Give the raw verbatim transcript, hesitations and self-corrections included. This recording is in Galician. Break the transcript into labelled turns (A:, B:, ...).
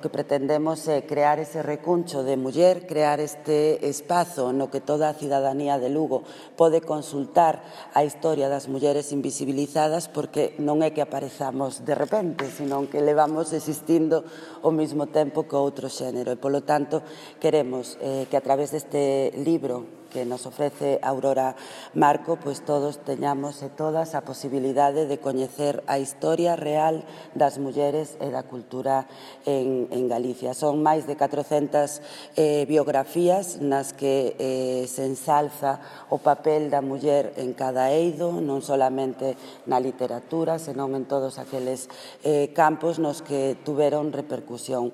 A: o que pretendemos é crear ese recuncho de muller, crear este espazo no que toda a cidadanía de Lugo pode consultar a historia das mulleres invisibilizadas, porque non é que aparezamos de repente, sino que levamos existindo ao mesmo tempo que outro xénero. E, polo tanto, queremos eh, que a través deste libro que nos ofrece Aurora Marco, pois todos teñamos e todas a posibilidade de coñecer a historia real das mulleres e da cultura en, en Galicia. Son máis de catrocentas eh, biografías nas que eh, se ensalza o papel da muller en cada eido, non solamente na literatura, senón en todos aqueles eh, campos nos que tuveron repercusión.